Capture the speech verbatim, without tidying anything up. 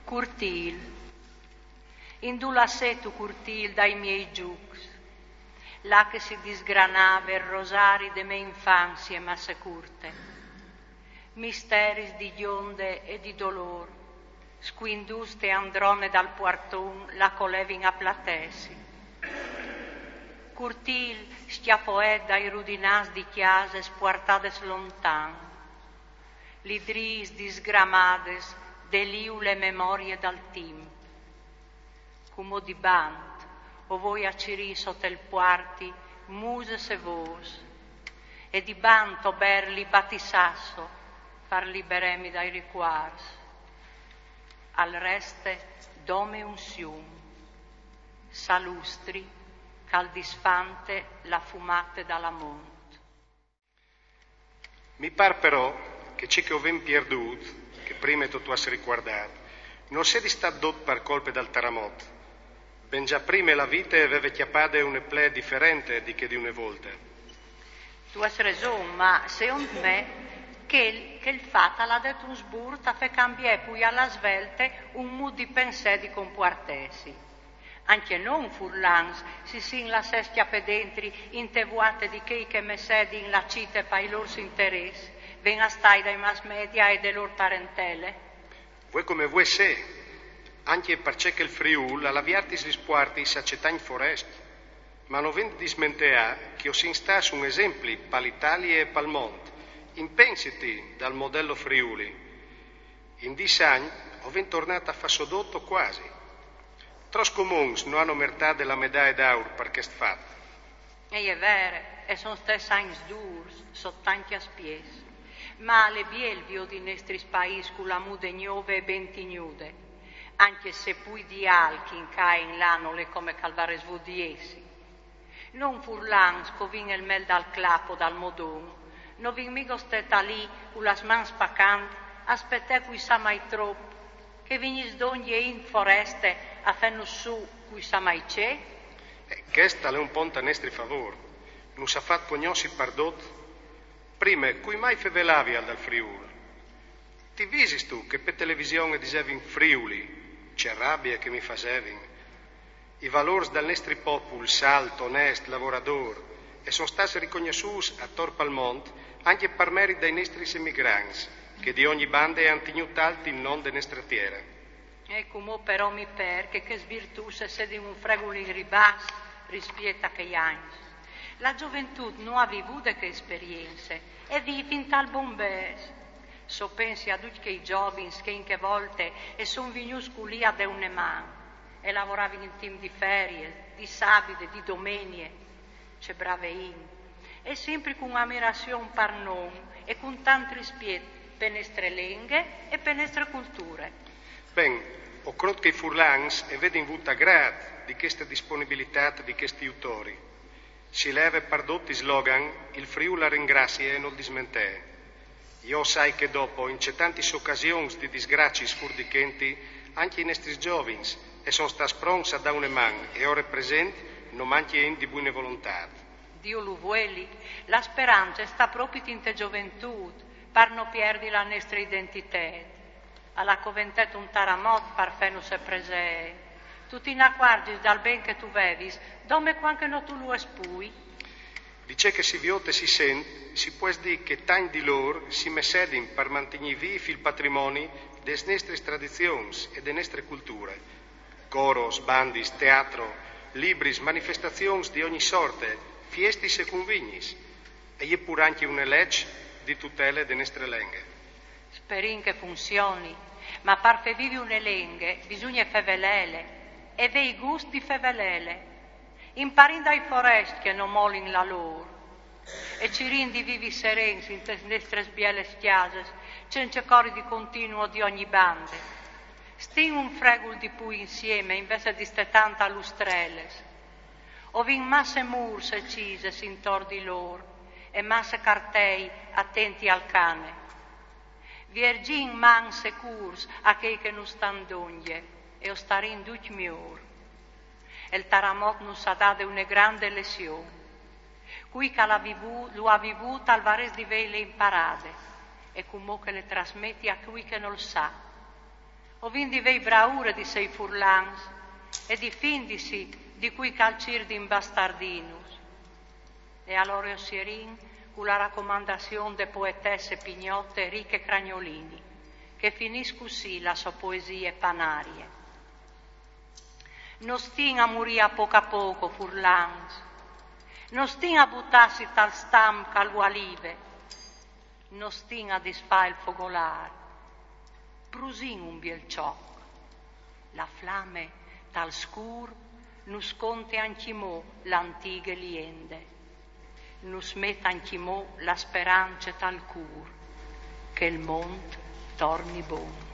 Curtîl. Indulà setu curtîl dai miei zûcs, là che si disgranave il rosari de mê infanzie masse curte. Misteris di gjonde e di dolôr, scuindûts te androne dal puarton là che o levin a platessi. Curtîl scjapoet dai rudinâts di cjasis puartadis lontan, lidrîs disgramades de liule memorie dal timp. Cumò di bant o voi a cirî sot il puarti musis e vôs, e di bant o berli batissasso par liberemi dai ricuarts. Al reste dome un sium, salustri, che al disfante la fumate dal amont. Mi par però che ce che o vin pierdût, che prime tu tu âs ricuardât, nol sedi stât dut par colpe dal taramot. Ben za prime la vite e veve cjapade une plee diferente di chê di une volte. Tu âs reson, ma secont me chel, chel fat al à det un sburt a fâ cambiâ plui a la svelte un mût di pensâ e di compuartessi. Ancje nô furlans si sin lassâts cjapâ dentri inte vuate di chei che messedin la cite pai lôr interès, ven a stâi dai mass media e de lôr parentele. Vuê come vuê sé, ancje parcè che il Friûl al à viertis lis puartis a cetagns forest. Ma no vin di dismenteâ che o sin stâts un esempli pa la Italie e pal mont, in Pensiti dal modello Friuli. In dîs agns o vin tornât a fâ sodot o cuasi. Trops comuns no àn mertade la medaie d'aur par chest fat. E je vere, e son stâts agns dûrs, sot tancj aspiets. Ma al è biel viodi i nestris paîs cu la mude gnove e ben tignude, ancje se plui di alc in ca e in là nol è come che al varès vût di jessi. Nô furlans che o vin il mel dal clap o dal modon, no vin migo stâts li cu las mans pa cant a spetâ cui sa mai trop che vignìs dongje int foreste a fânus sù cui sa mai ce? E chest al è un pont a nestri favôr. Nus à fat cognossi pardut. Prime, cui mai fevelavial dal Friûl? Ti visistu che pe television a disevin Friuli? Ce rabie che mi fasevin. I valôrs dal nestri popul, salt, onest, lavoradôr, a son stâts ricognossûts ator pal mont ancje par merit dai nestris emigrants, che di ogni bande a àn tignût alt il non de nestre tiere. E cumò però mi pâr che chês virtûts a sedin un fregul in ribàs rispiet a chei agns. La zoventût no à vivût chê esperience e vivin tal bombes. Se o pensi a ducj chei zovins che in chê volte a son vignûts culì a dâ une man, e lavoravin in timp di ferie, di sabide, di domenie. Ce brave int. E simpri cun amirazion par nô e cun tant rispiet pe nestre lenghe e pe nestre culture. Ben, o crôt che i furlans a vedin vût agrât di cheste disponibilitât di chescj jutori. Si leve pardut il slogan: il Friûl al ringrazie e nol dismentee. Jo o sai che dopo, in cetantis ocasions di disgraciis fûr di chenti, ancje i nestris zovins a son stâts pronts a dâ une man e ore present no mancje int di buine volontât. Diu lu vueli, la sperance e sta propit inte zoventût, par no pierdi la nestre identitât. Al à coventet un taramot par fânus presêt. Tu ti inacuarzis dal ben che tu vevis, dome cuant che no tu lu âs plui? Di ce che si viôt e si sent, si pues dî che tancj di lôr si messedin par mantignî vîf il patrimoni des nestris tradizions e de nestre culture. Coros, bandis, teatro, libris, manifestazions di ogni sorte, fiestis e convignis. E je pûr ancje une leç di tutele de nestre lenghe. Sperìn che funzioni, ma par fâ vivi une lenghe bisugne fevelêle e vê i gust di fevelêle. Imparìn dai forescj che no molin la lôr e cirìn di vivi serens intes nestris bielis cjasis, cence cori di continui di ogni bande. Stìn un fregul di plui insiemi invezit di stâ tant a lustrelis. O vin masse mûrs e cisis intor di lôr e masse cartei atenti al cane. Vierzìn mans e cûrs a chei che nus stan dongje e o starìn ducj miôr. Il taramot nus à dade une grande lezion. Cui che lu à vivût, lu à vivût al varès di vêle imparade e cumò che le trasmeti a cui che nol sa. O vin di vei braure di sei furlans e di findisi di cui calcir di imbastardinus. E alore o sierin cu la racomandazion de poetesse pignotte Riche Cragnolini, che finìs cussì la sò poesie panarie. No stin a murì a poco a poco, furlans. No stin a butâsi tal stam ch'a lu alive. No stin a disfâ il fogolâr. Brusìn un biel cioc. La flame tal scûr nus conte ancjemò la antighe liende. Nus met ancjemò la sperance tal cûr che il mont torni bon.